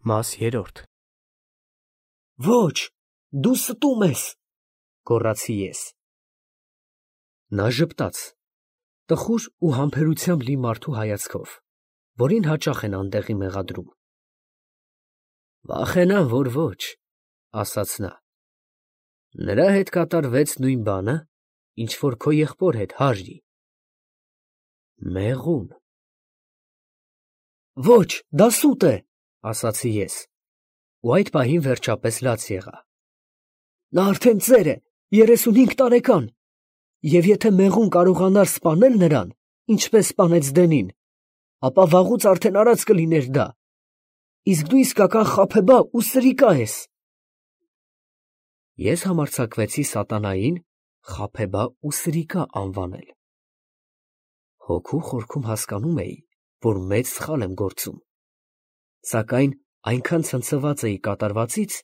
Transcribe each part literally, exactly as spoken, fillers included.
Մաս երրորդ Ոչ, դու ստում ես, գոռացի ես։ Նա ժպտաց, տխուր ու համբերությամբ լի մարդու հայացքով, որին հաճախ են անտեղի մեղադրում։ Վախենամ, որ ոչ, ասաց նա։ Նրա հետ կատարվեց նույն բանը, ինչ որ քո եղբոր հետ, Հարրի։ Մեղուն։ Ոչ, դա սուտ է, ասացի ես, ու այդ պահին վերջապես լաց եղա։ Նա արդեն ծեր է, երեսունհինգ տարեկան, և եթե մեղուն կարողանար սպանել նրան, ինչպես սպանեց Դենին, ապա վաղուց արդեն արած կլիներ դա, իսկ դու իսկական խաբեբա ու սրիկա ես։ Ես համարձակվեցի սատանային խաբեբա ու սրիկա անվանել։ Հոգու խորքում հասկանում էի, որ մեծ սխալ եմ գործում, սակայն այնքան ցնցված էի կատարվածից,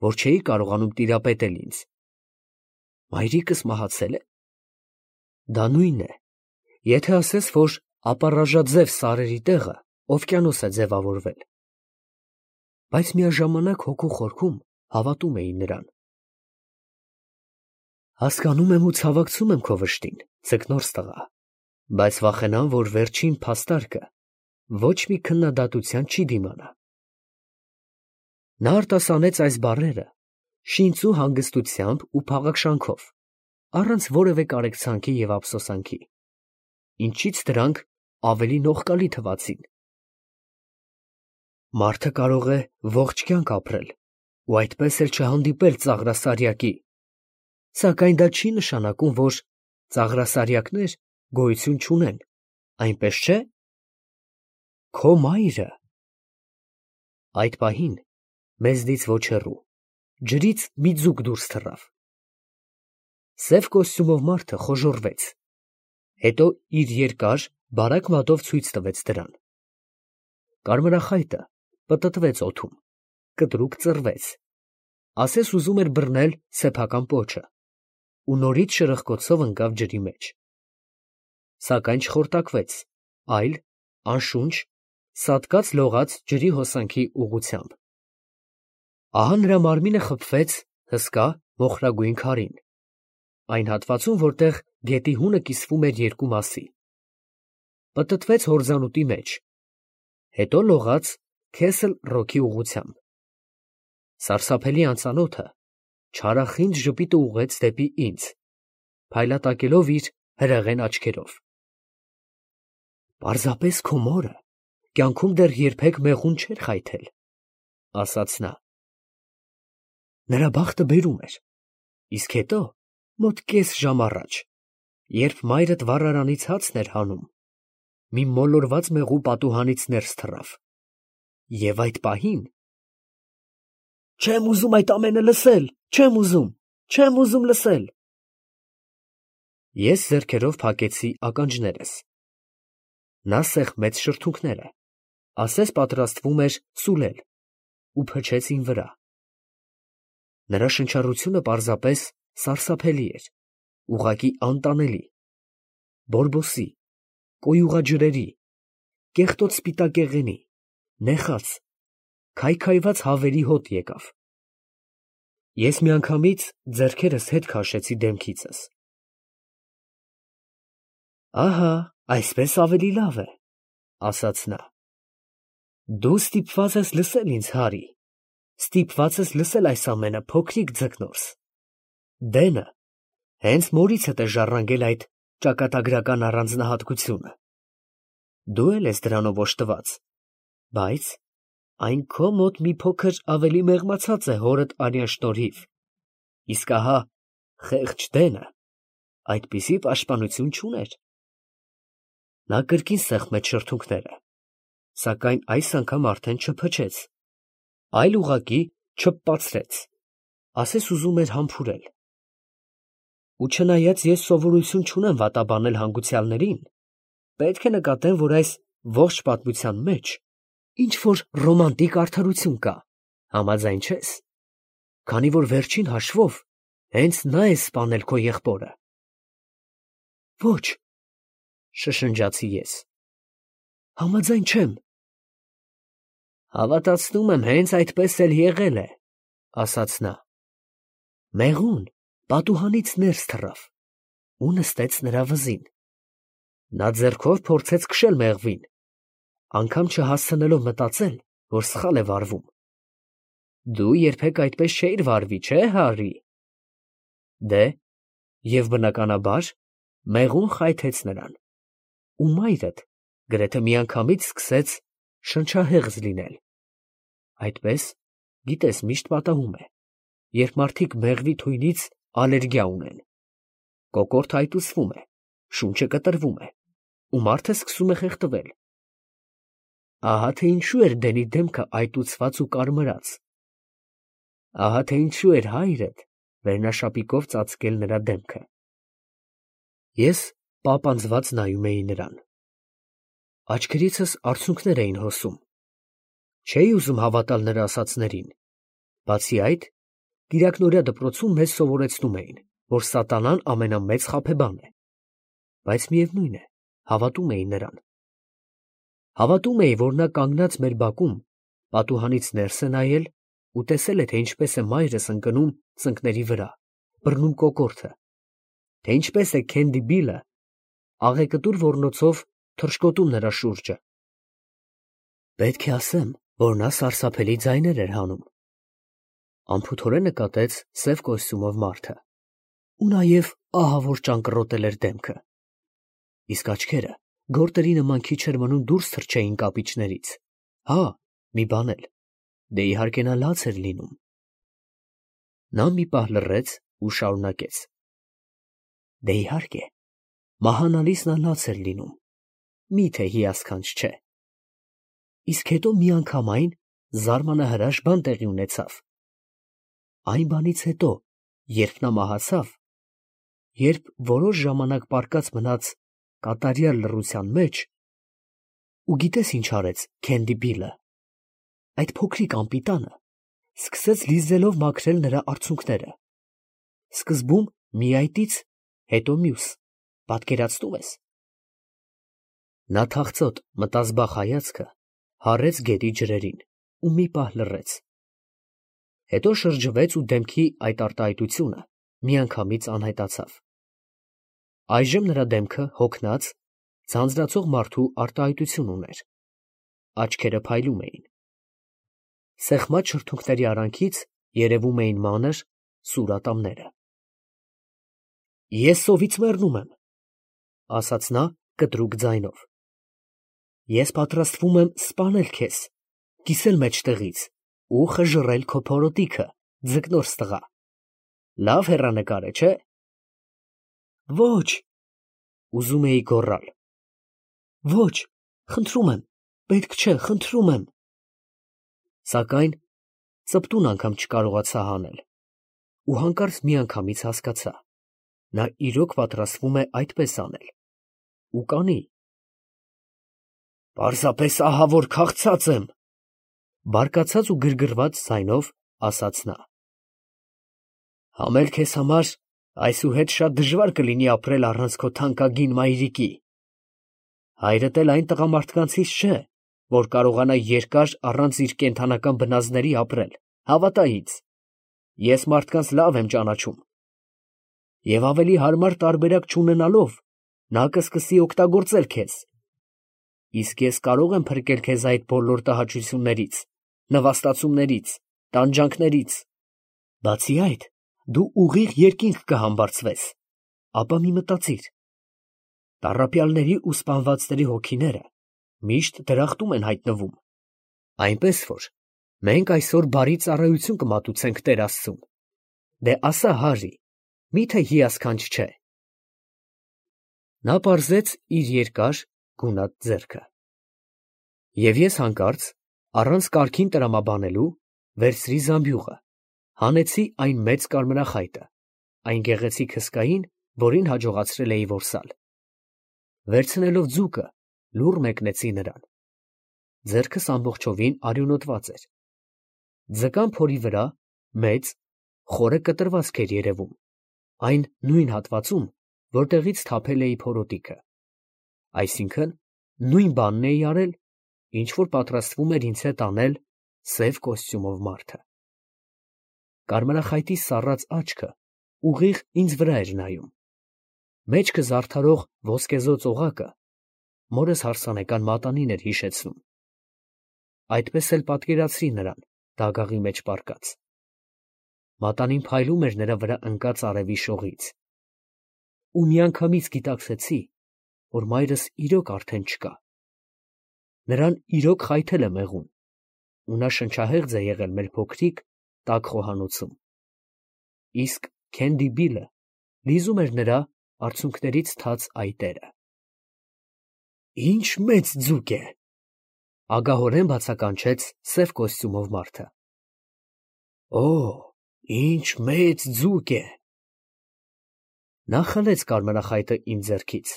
որ չէի կարողանում տիրապետել ինձ։ Մայրիկս մահացե՞լ է։ Դա նույնն է, եթե ասես, որ ապառաժաձև սարերի տեղը օվկիանոս է ձևավորվել։ Բայց միաժամանակ հոգու խորքում հավատում էի նրան։ Հասկանում եմ ու ցավակցում եմ քո վշտին, ձկնորս տղա, բայց վախենամ, որ վերջին փաստարկը ոչ մի քննադատության չի դիմանա։ Նա արտասանեց այս բառերը շինծու հանգստությամբ ու փաղաքշանքով, առանց որևէ կարեկցանքի և ափսոսանքի, ինչից դրանք ավելի նողկալի թվացին։ Մարդը կարող է ողջ կյանք ապրել ու այդպես էլ չհանդիպել ծաղրասարյակի, սակայն դա չի նշանակում, որ ծաղրասարյակներ գոյություն չունեն, այնպես չէ՞։ Քո մայրը… Այդ պահին մեզնից ոչ հեռու ջրից մի ձուկ դուրս թռավ։ Սև կոստյումով մարդը խոժոռվեց, հետո իր երկար, բարակ մատով ցույց տվեց դրան։ Կարմրախայտը պտտվեց օդում, կտրուկ ծռվեց, ասես ուզում էր բռնել սեփական պոչը, ու նորից շրխկոցով ընկավ ջրի մեջ։ Սակայն չխորտակվեց, այլ, անշունչ, սատկած լողաց ջրի հոսանքի ուղղությամբ։ Ահա նրա մարմինը խփվեց հսկա մոխրագույն քարին, այն հատվածում, որտեղ գետի հունը կիսվում էր երկու մասի, պտտվեց հորձանուտի մեջ, հետո լողաց Քեսլ Ռոքի ուղղությամբ։ Սարսափելի անծանոթը չարախինդ ժպիտը ուղղեց դեպի ինձ, փայլատակելով իր հրեղեն աչքերով։ Պարզապես քո մորը կյանքում դեռ երբեք մեղուն չէր խայթել, ասաց նա։ Նրա բախտը բերում էր, իսկ հետո, մոտ կես ժամ առաջ, երբ մայրդ վառարանից հացն էր հանում, մի մոլորված մեղու պատուհանից ներս թռավ, և այդ պահին… Չեմ ուզում այդ ամենը լսել, չեմ ուզում, չեմ ուզում լսել… Ես ձեռքերով փակեցի ականջներս։ Նա սեղմեց շրթունքները, ասես պատրաստվում էր սուլել, ու փչեց իմ վրա։ Նրա շնչառությունը պարզապես սարսափելի էր, ուղղակի անտանելի, բորբոսի, կոյուղաջրերի, կեղտոտ սպիտակեղենի, նեխած, քայքայված հավերի հոտ եկավ։ Ես միանգամից ձեռքերս հետ քաշեցի դեմքիցս։ Ահա, այսպես ավելի լավ է, ասաց նա։ Դու ստիպված ես լսել ինձ, Հարի, ստիպված ես լսել այս ամենը, փոքրիկ ձկնորս։ Դենը հենց մորիցդ է ժառանգել այդ ճակատագրական առանձնահատկությունը։ Դու էլ ես դրանով օժտված, բայց այն քո մոտ մի փոքր ավելի մեղմացած է հորդ արյան շնորհիվ, իսկ ահա խեղճ Դենը այդպիսի պաշտպանություն չուներ։ Նա կրկին սեղմեց շրթունքները, սակայն այս անգամ արդեն չփչեց, այլ ուղղակի չփպացրեց, ասես ուզում էր համբուրել։ Ու չնայած ես սովորություն չունեմ վատաբանել հանգուցյալներին, պետք է նկատեմ, որ այս ողջ պատմության մեջ ինչ֊որ ռոմանտիկ արդարություն կա, համաձայն չե՞ս, քանի որ վերջին հաշվով հենց նա է սպանել քո եղբորը։ Ոչ, շշնջացի ես, համաձայն չեմ։ Հավատացնում եմ, հենց այդպես էլ եղել է, ասաց նա։ Մեղուն պատուհանից ներս թռավ ու նստեց նրա վզին։ Նա ձեռքով փորձեց քշել մեղվին, անգամ չհասցնելով մտածել, որ սխալ է վարվում։ Դու երբեք այդպես չէիր վարվի, չէ՞, Հարի։ Դե, և բնականաբար, մեղուն խայթեց նրան, ու մայրդ գրեթե միանգամից սկսեց շնչահեղձ լինել։ Այդպես, գիտես, միշտ պատահում է, երբ մարդիկ մեղվի թույնից ալերգիա ունեն։ Կոկորդը այտուցվում է, շունչը կտրվում է, ու մարդը սկսում է խեղդվել։ Ահա թե ինչու էր Դենի դեմքը այտուցված ու կարմրած։ Ահա թե ինչու էր հայրդ վերնաշապիկով ծածկել նրա դեմքը։ Ես պապանձված նայում էի նրան։ Աչքերիցս արցունքներ էին հոսում։ Չէի ուզում հավատալ նրա ասածներին։ Բացի այդ, կիրակնօրյա դպրոցում մեզ սովորեցնում էին, որ սատանան ամենամեծ խաբեբան է, բայց միևնույն է, հավատում էի նրան։ Հավատում էի, որ նա կանգնած մեր բակում պատուհանից ներս է նայել ու տեսել է, թե ինչպես է մայրս ընկնում ծնկների վրա, բռնում կոկորդը, թե ինչպես է Քենդի Բիլը աղեկտուր ոռնոցով թռչկոտում նրա շուրջը։ Պետք է ասեմ, որ նա սարսափելի ձայներ էր հանում։ Անփութորեն նկատեց սև կոստյումով մարդը, ու նաև ահավոր ճանկռոտել էր դեմքը, իսկ աչքերը գորտերի նման քիչ էր մնում դուրս թռչեին կապիճներից։ Հա, մի բան էլ, դե իհարկե նա լաց էր լինում։ Նա մի պահ լռեց ու շարունակեց. Դե իհարկե, մահանալիս նա լաց էր լինում, միթե հիասքանչ չէ։ Իսկ հետո միանգամայն զարմանահրաշ բան տեղի ունեցավ։ Այն բանից հետո, երբ նա մահացավ, երբ որոշ ժամանակ պառկած մնաց կատարյալ լռության մեջ, ու գիտես ինչ արեց Քենդի Բիլը, այդ փոքրիկ անպիտանը սկսեց լիզելով մաքրել նրա արցունքները, սկզբում մի այտից, հետո մյուս, պատկերացնում ես։ Նա թախծոտ մտազբաղ հայացքը հառեց գետի ջրերին ու մի պահ լռեց, հետո շրջվեց ու դեմքի այդ արտահայտությունը միանգամից անհայտացավ։ Այժմ նրա դեմքը հոգնած, ձանձրացող մարդու արտահայտություն ուներ, աչքերը փայլում էին, սեղմած շրթունքների արանքից երևում էին մանր, սուր ատամները։ Ես սովից մեռնում եմ, ասաց նա կտրուկ ձայնով։ Ես պատրաստվում եմ սպանել քեզ, կիսել մեջտեղից ու խժռել քո փորոտիքը, ձկնորս տղա։ Լավ հեռանկար է, չէ՞։ Ոչ, ուզում էի գոռալ։ Ոչ, խնդրում եմ, պետք չէ, խնդրում եմ։ Սակայն ծպտուն անգամ չկարողացա հանել ու հանկարծ միանգամից հասկացա. նա իրոք պատրաստվում է այդպես անել ու կանի։ Պարզապես ահա որ քաղցած եմ, բարկացած ու գրգռված ձայնով ասաց նա։ Համել քեզ համար այսուհետ շատ դժվար կլինի ապրել առանց քո թանկագին մայրիկի։ Հայրդ էլ այն տղամարդկանցից չէ, որ կարողանա երկար առանց իր կենդանական բնազդների ապրել, հավատա ինձ, ես մարդկանց լավ եմ ճանաչում։ Եվ ավելի հարմար տարբերակ չունենալով, նա կսկսի օգտագործել քեզ։ Իսկ ես կարող եմ փրկել քեզ այդ բոլոր տհաճություններից, նվաստացումներից, տանջանքներից։ Բացի այդ, դու ուղիղ երկինք կհամբարձվես, ապա մի մտածիր. տառապյալների ու սպանվածների հոգիները միշտ դրախտում են հայտնվում, այնպես որ մենք այսօր բարի ծառայություն կմատուցենք Տեր Աստծուն։ Դե ասա, Հարի, միթե հիասքանչ չէ։ Նա պարզեց իր երկար գունատ ձեռքը։ Եվ ես հանկարծ, առանց կարգին տրամաբանելու, վերցրի զամբյուղը, հանեցի այն մեծ կարմրախայտը, այն գեղեցիկ հսկային, որին հաջողացրել էի որսալ։ Վերցնելով ձուկը, լուռ մեկնեցի նրան։ Ձեռքս ամբողջովին արյունոտված էր։ Ձկան փորի վրա մեծ, խորը կտրվածք էր երևում, այն նույն հատվածում, որտեղից թափել էի փորոտիքը։ Այսինքն, նույն բանն էի արել, ինչ որ պատրաստվում էր ինձ հետ անել սև կոստյումով մարդը։ Կարմրախայտի սառած աչքը ուղիղ ինձ վրա էր նայում։ Մեջքը զարդարող ոսկեզօծ օղակը մորս հարսանեկան մատանին էր հիշեցնում։ Այդպես էլ պատկերացրի նրան դագաղի մեջ պառկած։ Մատանին փայլում էր նրա վրա ընկած արևի շողից։ Ու միանգամից գիտակցեցի, որ մայրս իրոք արդեն չկա։ Նրան իրոք խայթել է մեղուն, ու նա շնչահեղձ է եղել մեր փոքրիկ տաք խոհանոցում։ Իսկ Քենդի Բիլը լիզում էր նրա արցունքներից թաց այտերը։ Ինչ մեծ ձուկ է, ագահորեն բացականչեց սև կոստյումով մարդը։ Օ, ինչ մեծ ձուկ է։ Նա խլեց կարմրախայտը իմ ձեռքից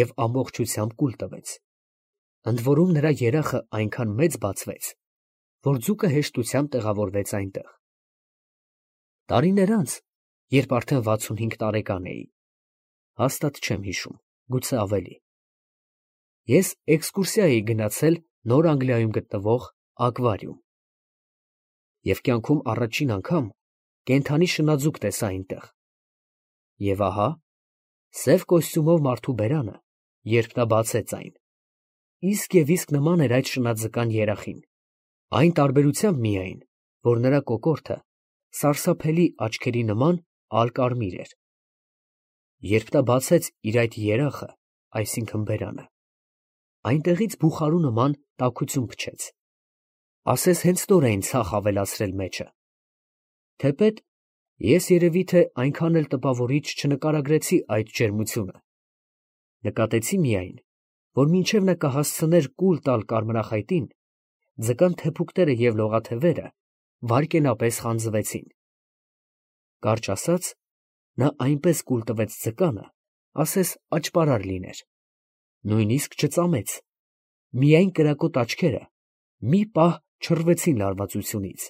և ամբողջությամբ կուլ տվեց։ Ընդ որում նրա երախը այնքան մեծ բացվեց, որ ձուկը հեշտությամբ տեղավորվեց այնտեղ։ Տարիներ անց, երբ արդեն վաթսունհինգ տարեկան էի, հաստատ չեմ հիշում, գուցե ավելի, ես էքսկուրսիա էի գնացել Նոր Անգլիայում գտնվող ակվարիում և կյանքում առաջին անգամ կենդանի շնաձուկ տեսա այնտեղ։ Եվ ահա, սև կոստյումով մարդու բերանը, երբ նա բացեց այն, իսկ և իսկ նման էր այդ շնաձկան երախին, այն տարբերությամբ միայն, որ նրա կոկորդը սարսափելի աչքերի նման ալկարմիր էր։ Երբ նա բացեց իր այդ երախը, այսինքն բերանը, այնտեղից բուխարու նման տաքություն փչեց, ասես հենց նոր էին ցախ ավելացրել մեջը։ Թեպետ ես երևի թե այնքան էլ տպավորիչ չնկարագրեցի այդ ջերմությունը, նկատեցի միայն, որ մինչև նա կհասցներ կուլ տալ կարմրախայտին, ձկան թեփուկները և լողաթևերը վայրկենապես խանձվեցին։ Կարճ ասած, նա այնպես կուլ տվեց ձկանը, ասես աճպարար լիներ, նույնիսկ չծամեց, միայն կրակոտ աչքերը մի պահ չռվեցին լարվածությունից։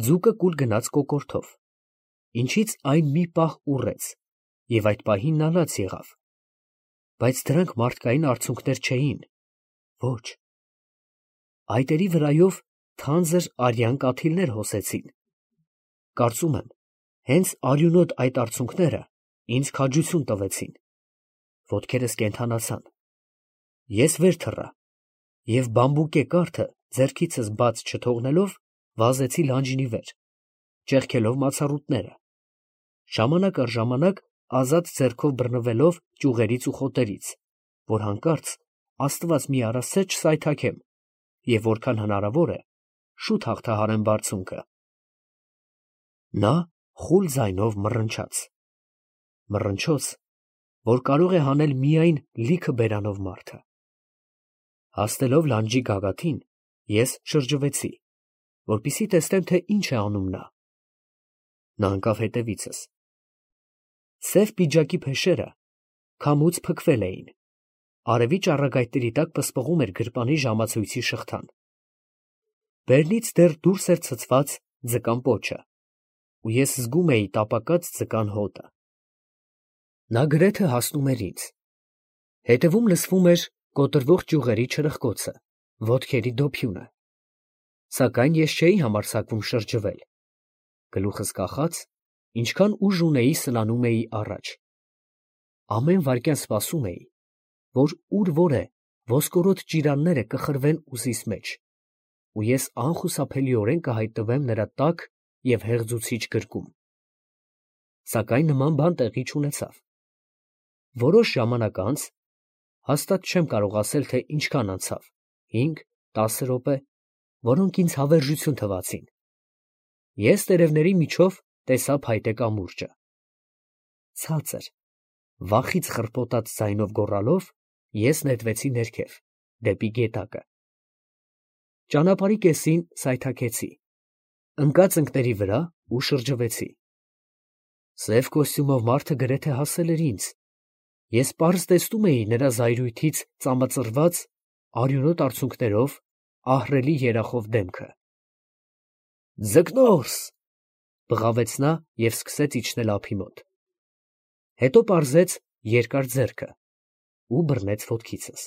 Ձուկը կուլ գնաց կոկորդով, ինչից այն մի պահ ուռեց և այդ պահին նա լաց եղավ, բայց դրանք մարդկային արցունքներ չէին, ոչ, այտերի վրայով թանձր արյան կաթիլներ հոսեցին։ Կարծում եմ, հենց արյունոտ այդ արցունքները ինձ քաջություն տվեցին, ոտքերս կենդանացան, ես վեր թռա և բամբուկե կարթը ձեռքիցս բաց չթողնելով վազեցի լանջինի վեր, ճեղքելով մացառուտները, ժամանակ առ ժամանակ ազատ ձեռքով բռնվելով ճյուղերից ու խոտերից, որ հանկարծ աստված մի առասցե չսայթաքեմ և որքան հնարավոր է շուտ հաղթահարեմ բարձունքը։ Նա խուլ ձայնով մռնչաց, մռնչոց, որ կարող է հանել միայն լիքը բերանով մարդը։ Հասնելով լանջի գագաթին, ես շրջվեցի, որպեսզի տեսնեմ, թե ինչ է անում նա։ Նա ընկավ հետևիցս։ Սև պիջակի փեշերը քամուց փքվել էին, արևի ճառագայթների տակ պսպղում էր գրպանի ժամացույցի շղթան։ Բերնից դեռ դուրս էր ցցված ձկան պոչը, ու ես զգում էի տապակած ձկան հոտը։ Նա գրեթե հասնում էր ինձ, հետևում լսվում էր կոտրվող ճյուղերի չրխկոցը, ոտքերի դոփյունը, սակայն ես չէի համարձակվում շրջվել, գլուխս կախած, ինչքան ուժ ունեի սլանում էի առաջ։ Ամեն վայրկյան սպասում էի, որ ուր որ է ոսկորոտ ճիրանները կխրվեն ուսիս մեջ, ու ես անխուսափելիորեն կհայտնվեմ նրա տաք և հեղձուցիչ գրկում։ Սակայն նման բան տեղի չունեցավ։ Որոշ ժամանակ անց, հաստատ չեմ կարող ասել, թե ինչքան անցավ, հինգ, տասը րոպե, որոնք ինձ հավերժություն թվացին, ես տերևների միջով տեսա փայտե կամուրջը։ Ցածր, վախից խռպոտած ձայնով գոռալով, ես նետվեցի ներքև, դեպի գետակը։ Ճանապարհի կեսին սայթաքեցի, ընկած ընկների վրա ու շրջվեցի։ Սև կոստյումով մարդը գրեթե հասել էր ինձ, ես պարզ տեսնում էի նրա զայրույթից ծամծռված, արյունոտ արցունքներով ահռելի երախով դեմքը։ Ձկնորս, բղավեց նա և սկսեց իջնել ափի մոտ, հետո պարզեց երկար ձեռքը ու բռնեց ոտքիցս։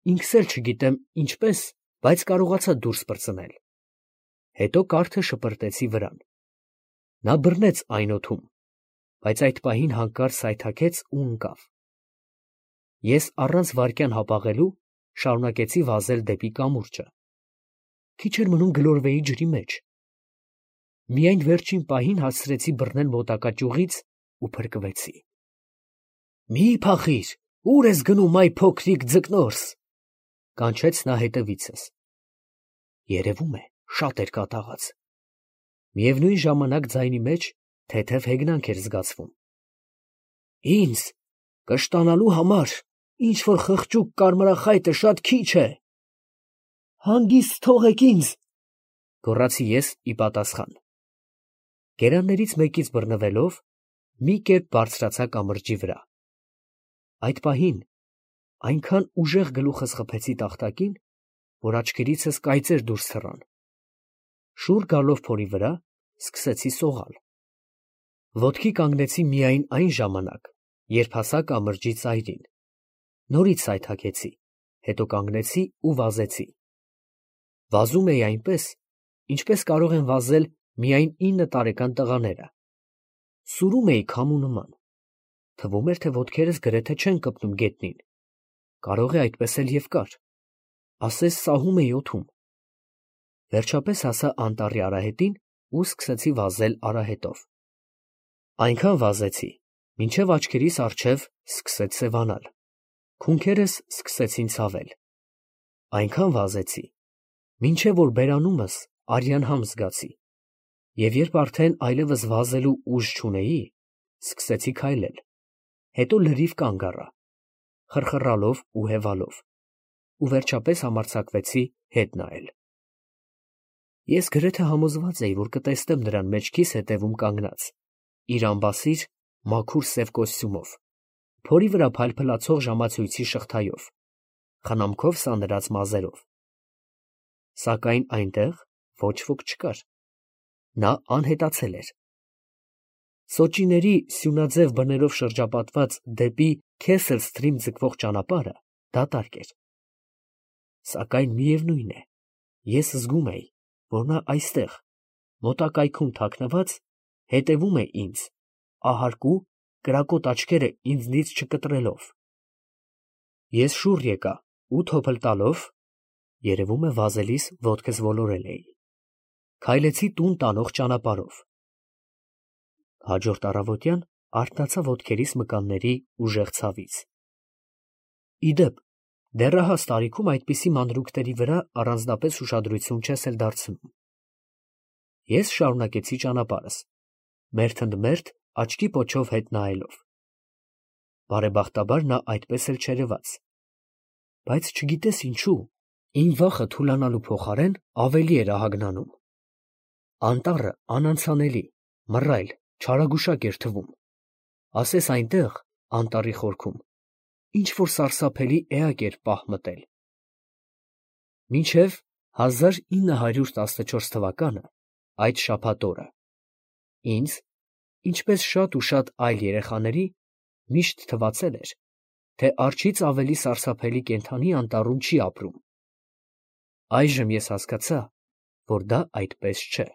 ինքս էլ չգիտեմ ինչպես, բայց կարողացա դուրս պրծնել։ Հետո կարթը շպրտեցի վրան։ Նա բռնեց այն օդում, բայց այդ պահին հանկարծ սայթաքեց ու ընկավ։ Ես առանց վայրկյան հապաղելու շարունակեցի վազել դեպի կամուրջը։ Քիչ էր մնում գլորվեի ջրի մեջ։ Միայն վերջին պահին հասցրեցի բռնել մոտակա ճյուղից ու փրկվեցի։ Մի փախիր, ուր ես գնում, այ փոքրիկ ձկնորս, կանչեց նա հետևիցս։ Երևում է, շատ էր կատաղած։ Միևնույն ժամանակ ձայնի մեջ թեթև հեգնանք էր զգացվում։ Ինձ կշտանալու համար ինչ որ խղճուկ կարմրախայտը շատ քիչ է։ Հանգիստ թողեք ինձ, գոռացի ես ի պատասխան։ Գերաններից մեկից բռնվելով մի կերպ բարձրացա կամրջի վրա։ Այդ պահին այնքան ուժեղ գլուխս խփեցի տախտակին, որ աչքերիցս կայծեր դուրս թռան։ Շուռ գալով փորի վրա, սկսեցի սողալ։ Ոտքի կանգնեցի միայն այն ժամանակ, երբ հասա կամրջի ծայրին։ Նորից սայթաքեցի, հետո կանգնեցի ու վազեցի։ Վազում էի այնպես, ինչպես կարող են վազել միայն ինը տարեկան տղաները։ Սուրում էի քամու նման։ Թվում էր, թե ոտքերս գրեթե չեն կպնում գետնին։ Կարող է այդպես էլ և կար։ Ասես սահում էի օդում։ Վերջապես հասա անտառի արահետին ու սկսեցի վազել արահետով։ Այնքան վազեցի, մինչև աչքերիս առջև սկսեց սևանալ։ Քունքերս սկսեցին ցավել։ Այնքան վազեցի, մինչև որ բերանումս արյան համ զգացի, և երբ արդեն այլևս վազելու ուժ չունեի, սկսեցի քայլել, հետո լրիվ կանգ առա, խռխռալով ու հևալով, ու վերջապես համարձակվեցի հետ նայել։ Ես գրեթե համոզված էի, որ կտեսնեմ նրան մեջքիս հետևում կանգնած, իր ամբասիր, մաքուր սև կոստյումով, փորի վրա փայլփլացող ժամացույցի շղթայով, խնամքով սանրած մազերով։ Սակայն այնտեղ ոչ ոք չկար։ Նա անհետացել էր։ Սոճիների սյունաձև բներով շրջապատված դեպի Քեսել Սթրիմ ձգվող ճանապարհը դատարկ էր։ Սակայն միևնույն է, ես զգում էի, որ նա այստեղ, մոտակայքում թաքնված, հետևում է ինձ, ահարկու, կրակոտ աչքերը ինձնից չկտրելով։ Ես շուռ եկա ու թոփլ տալով, երևում է վազելիս ոտքս ոլորել էի, քայլեցի տուն տանող ճանապարհով։ Հաջորդ առավոտյան արթնացա ոտքերիս մկանների ուժեղ ցավից։ Ի դեպ, դեռահաս տարիքում այդպիսի մանրուքների վրա առանձնապես ուշադրություն չես էլ դարձնում։ Ես շարունակեցի ճանապարհս, մերթ ընդ մերթ աչքի պոչով հետ նայելով։ Բարեբախտաբար նա այդպես էլ չերևաց։ Բայց չգիտես ինչու, իմ վախը թուլանալու փոխարեն ավելի էր ահագնանում։ Անտառը անանցանելի, մռայլ, չարագուշակ էր թվում։ Ասես այնտեղ, անտառի խորքում, ինչ որ սարսափելի էակ էր պահ մտել։ Մինչև հազար ինը հարյուր տասնչորս թվականը, այդ շաբաթ օրը, ինձ, ինչպես շատ ու շատ այլ երեխաների, միշտ թվացել էր, թե արջից ավելի սարսափելի կենդանի անտառում չի ապրում։ Այժմ ես հասկացա, որ դա այդպես չէ։